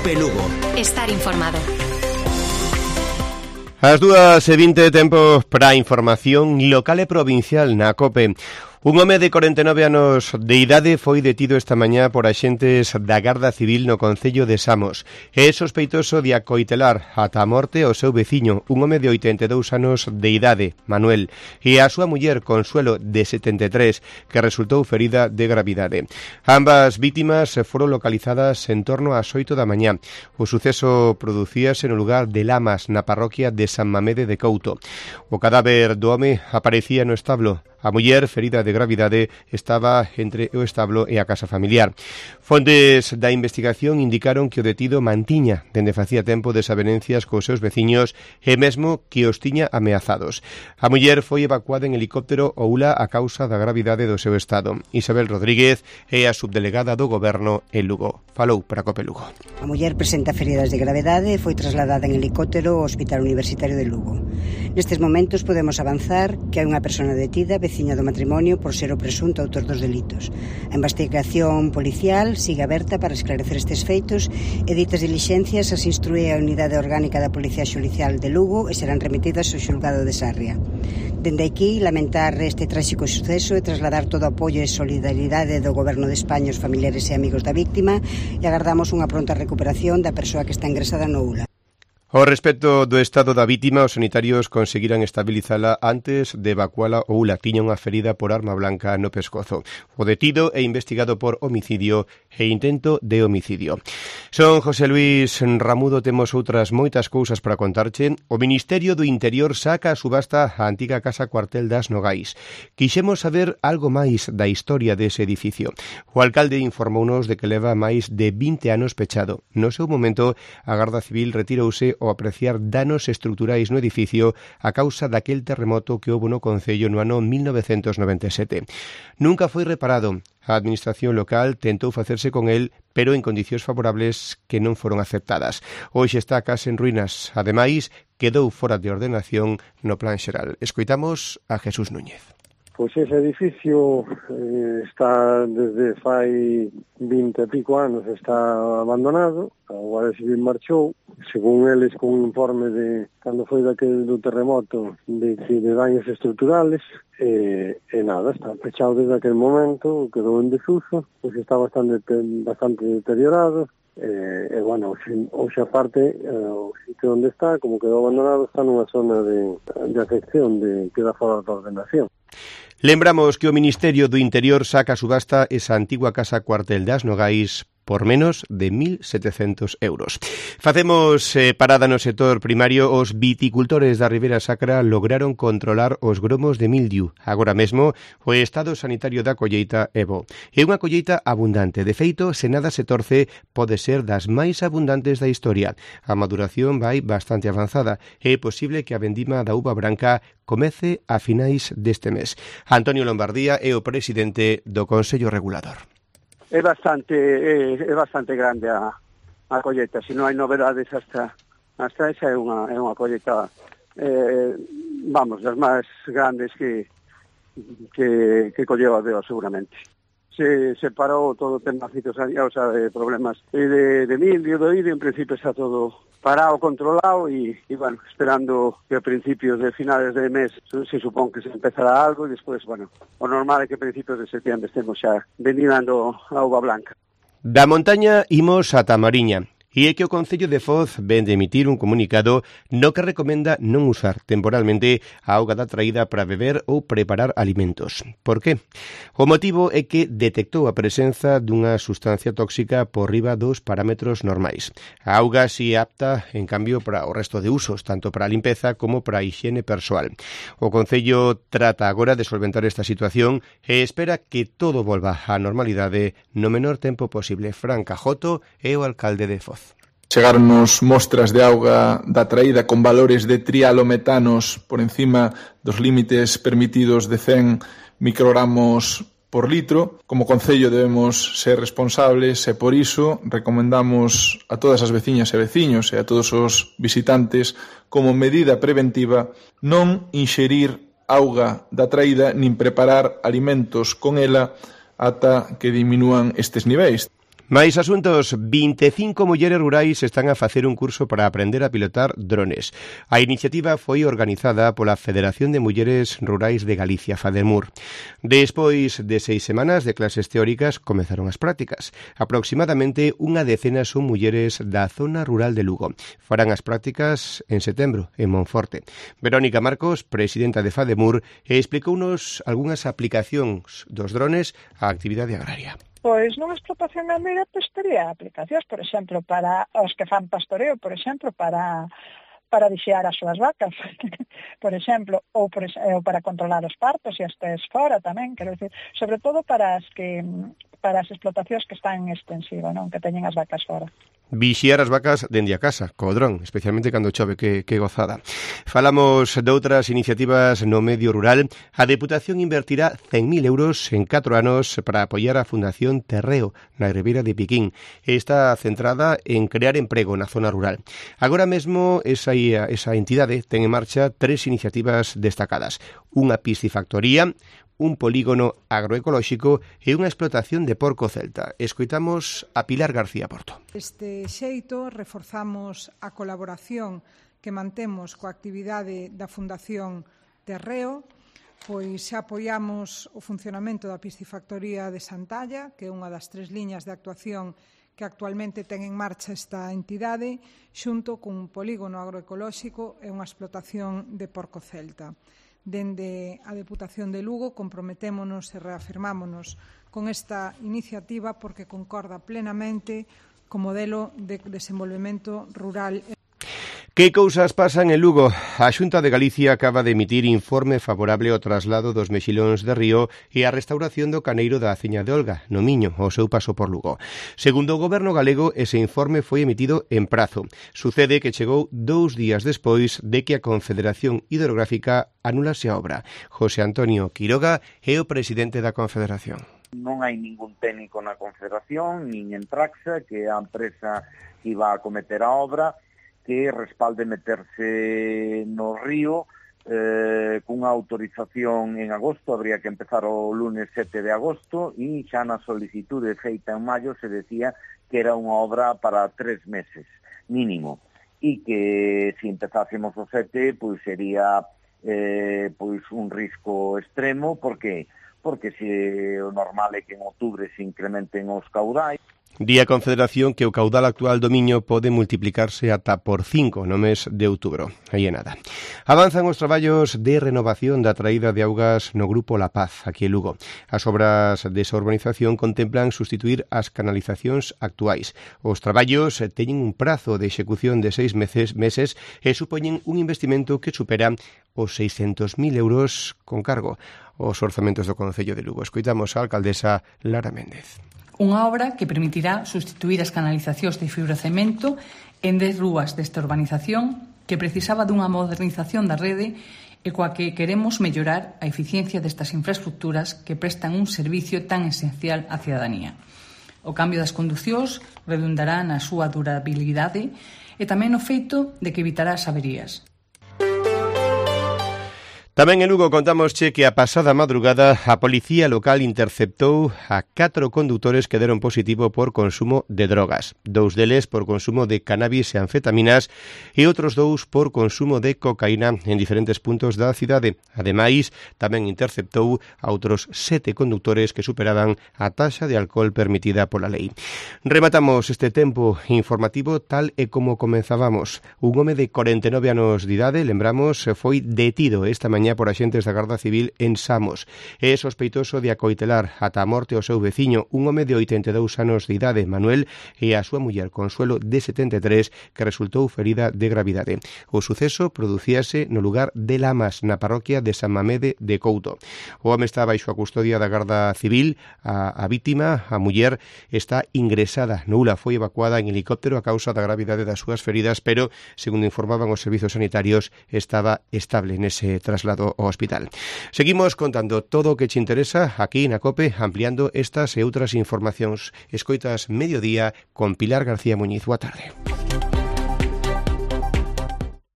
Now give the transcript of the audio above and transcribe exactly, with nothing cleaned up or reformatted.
Cope Lugo. Estar informado. As dúas e vinte tempo para a información local e provincial na Cope. Un home de corenta e nove anos de idade foi detido esta mañá por axentes da Garda Civil no concello de Samos. É sospeitoso de acoitelar ata a morte o seu veciño, un home de oitenta e dous anos de idade, Manuel, e a súa muller, Consuelo, de setenta e tres, que resultou ferida de gravidade. Ambas vítimas foron localizadas en torno ás oito da mañá. O suceso producíase no lugar de Lamas, na parroquia de San Mamede de Couto. O cadáver do home aparecía no establo. A muller, ferida de gravidade, estaba entre o establo e a casa familiar. Fontes da investigación indicaron que o detido mantiña dende facía tempo desavenencias cos seus veciños e mesmo que os tiña ameazados. A muller foi evacuada en helicóptero ao Ula a causa da gravidade do seu estado. Isabel Rodríguez é a subdelegada do Goberno en Lugo. Falou para Cope Lugo. A muller presenta feridas de gravedade e foi trasladada en helicóptero ao Hospital Universitario de Lugo. Nestes momentos podemos avanzar que hai unha persona detida, veciña do matrimonio, por ser o presunto autor dos delitos. A investigación policial sigue aberta para esclarecer estes feitos e ditas dilixencias as instrúe a Unidade Orgánica da Policía Xudicial de Lugo e serán remitidas ao xulgado de Sarria. Dende aquí, lamentar este tráxico suceso e trasladar todo o apoio e solidaridade do Goberno de España aos familiares e amigos da víctima e agardamos unha pronta recuperación da persoa que está ingresada no U L A. Ao respecto do estado da vítima, os sanitarios conseguiran estabilizala antes de evacuala ao U L A. Tiña unha ferida por arma blanca no pescozo. O detido é investigado por homicidio e intento de homicidio. Son José Luis Ramudo, temos outras moitas cousas para contarche. O Ministerio do Interior saca a subasta a antiga casa cuartel das Nogais. Quixemos saber algo máis da historia dese edificio. O alcalde informounos de que leva máis de vinte anos pechado. No seu momento, a Garda Civil retirouse ao apreciar danos estruturais no edificio a causa daquel terremoto que houbo no concello no ano mil novecentos noventa e sete. Nunca foi reparado. A administración local tentou facerse con el, pero en condicións favorables que non foron aceptadas. Hoxe está case en ruínas. Ademais, quedou fora de ordenación no plan xeral. Escoitamos a Jesús Núñez. Pois ese edificio eh, está desde fai vinte e pico anos, está abandonado. A Guardia Civil marchou, según eles, con un informe de cando foi daquele do terremoto de, de daños estruturales, e, e nada, está pechado desde aquel momento, quedou en desuso, pois está bastante bastante deteriorado. E, e bueno, hoxe aparte, o sitio onde está, como quedou abandonado, está nunha zona de, de afección, de queda fora da ordenación. Lembramos que o Ministerio do Interior saca a subasta esa antigua casa cuartel das Nogais por menos de mil setecentos euros. Facemos eh, parada no sector primario. Os viticultores da Ribeira Sacra lograron controlar os gromos de mildiu. Agora mesmo, o estado sanitario da colleita é bo. É unha colleita abundante. De feito, se nada se torce, pode ser das máis abundantes da historia. A maduración vai bastante avanzada. É posible que a vendima da uva branca comece a finais deste mes. Antonio Lombardía é o presidente do Consello Regulador. É bastante é, é bastante grande a, a colleta, se non hai novedades hasta hasta esa é unha é unha colleta eh, vamos, das máis grandes que que que colleu a Deo seguramente. Se separou todo o tema fitosanitario, o sea, de problemas de, de mildio, do idio, en principio está todo parado, controlado e, e, bueno, esperando que a principios de finales de mes se supón que se empezará algo e despois, bueno, o normal é que a principios de septiembre estemos xa vendinando a uva blanca. Da montaña imos a Tamariña. E é que o Concello de Foz ven de emitir un comunicado no que recomenda non usar temporalmente a auga da traída para beber ou preparar alimentos. Por qué? O motivo é que detectou a presenza dunha sustancia tóxica por riba dos parámetros normais. A auga si é apta, en cambio, para o resto de usos, tanto para a limpeza como para a higiene persoal. O Concello trata agora de solventar esta situación e espera que todo volva á normalidade no menor tempo posible. Fran Cajoto é o alcalde de Foz. Chegarnos mostras de auga da traída con valores de trialometanos por encima dos límites permitidos de cen microgramos por litro. Como Concello debemos ser responsables e por iso recomendamos a todas as veciñas e veciños e a todos os visitantes como medida preventiva non inxerir auga da traída nin preparar alimentos con ela ata que diminúan estes niveis. Máis asuntos, vinte e cinco mulleres rurais están a facer un curso para aprender a pilotar drones. A iniciativa foi organizada pola Federación de Mulleres Rurais de Galicia, FADEMUR. Despois de seis semanas de clases teóricas, comezaron as prácticas. Aproximadamente unha decena son mulleres da zona rural de Lugo. Farán as prácticas en setembro, en Monforte. Verónica Marcos, presidenta de FADEMUR, explicounos algunhas aplicacións dos drones á actividade agraria. Pois nunha explotación gandeira pois tería aplicacións, por exemplo, para os que fan pastoreo, por exemplo, para para vixiar as súas vacas, por exemplo, ou, por, ou para controlar os partos e as tes fora tamén, quero dicir, sobre todo para as que para as explotacións que están en extensiva, non, que teñen as vacas fora. Vixiar as vacas dende a casa, co dron, especialmente cando chove, que, que gozada. Falamos de outras iniciativas no medio rural. A Deputación invertirá cen mil euros en catro anos para apoiar a Fundación Terreo, na Ribeira de Piquín. Está centrada en crear emprego na zona rural. Agora mesmo, esa, esa entidade ten en marcha tres iniciativas destacadas. Unha piscifactoría, un polígono agroecolóxico e unha explotación de porco celta. Escoitamos a Pilar García Porto. Deste xeito, reforzamos a colaboración que mantemos coa actividade da Fundación Terreo, pois xa apoiamos o funcionamento da piscifactoría de Santalla, que é unha das tres liñas de actuación que actualmente ten en marcha esta entidade, xunto cun polígono agroecolóxico e unha explotación de porco celta. Dende a Deputación de Lugo comprometémonos e reafirmámonos con esta iniciativa porque concorda plenamente co modelo de desenvolvemento rural. Que cousas pasan en Lugo? A Xunta de Galicia acaba de emitir informe favorable ao traslado dos mexilóns de río e a restauración do caneiro da Aceña de Olga, no Miño, ao seu paso por Lugo. Segundo o Goberno galego, ese informe foi emitido en prazo. Sucede que chegou dous días despois de que a Confederación Hidrográfica anulase a obra. José Antonio Quiroga é o presidente da Confederación. Non hai ningún técnico na Confederación, nin en Traxa, que é a empresa que iba a cometer a obra, que respalde meterse no río eh, cunha autorización en agosto, habría que empezar o lunes sete de agosto, e xa na solicitude feita en maio se decía que era unha obra para tres meses mínimo, e que se empezásemos o sete, pois sería eh, pois un risco extremo, porque porque se o normal é que en outubro se incrementen os caudais. Di a Confederación que o caudal actual do Miño pode multiplicarse ata por cinco no mes de outubro. Aí é nada. Avanzan os traballos de renovación da traída de augas no Grupo La Paz, aquí en Lugo. As obras desa urbanización contemplan sustituir as canalizacións actuais. Os traballos teñen un prazo de execución de seis meses, meses e supoñen un investimento que supera os seiscentos mil euros con cargo aos orzamentos do Concello de Lugo. Escoitamos a alcaldesa Lara Méndez. Unha obra que permitirá sustituir as canalizacións de fibrocemento en dez rúas desta urbanización que precisaba dunha modernización da rede e coa que queremos mellorar a eficiencia destas infraestructuras que prestan un servicio tan esencial á cidadanía. O cambio das conducións redundará na súa durabilidade e tamén no feito de que evitará as averías. Tamén en Lugo contámosche que a pasada madrugada a policía local interceptou a catro condutores que deron positivo por consumo de drogas. Dous deles por consumo de cannabis e anfetaminas e outros dous por consumo de cocaína en diferentes puntos da cidade. Ademais, tamén interceptou a outros sete condutores que superaban a taxa de alcohol permitida pola lei. Rematamos este tempo informativo tal e como comenzábamos. Un home de corenta e nove anos de idade, lembramos, foi detido esta mañá por axentes da Garda Civil en Samos. É sospeitoso de acoitelar ata a morte o seu veciño, un home de oitenta e dous anos de idade, Manuel, e a súa muller, Consuelo, de setenta e tres, que resultou ferida de gravidade. O suceso producíase no lugar de Lamas, na parroquia de San Mamede de Couto. O home está baixo a custodia da Garda Civil. A, a vítima, a muller, está ingresada no U L A, foi evacuada en helicóptero a causa da gravidade das súas feridas, pero, segundo informaban os servizos sanitarios, estaba estable nese traslado ao hospital. Seguimos contando todo o que te interesa aquí na COPE, ampliando estas e outras informacións. Escoitas Mediodía con Pilar García Muñiz. Boa tarde.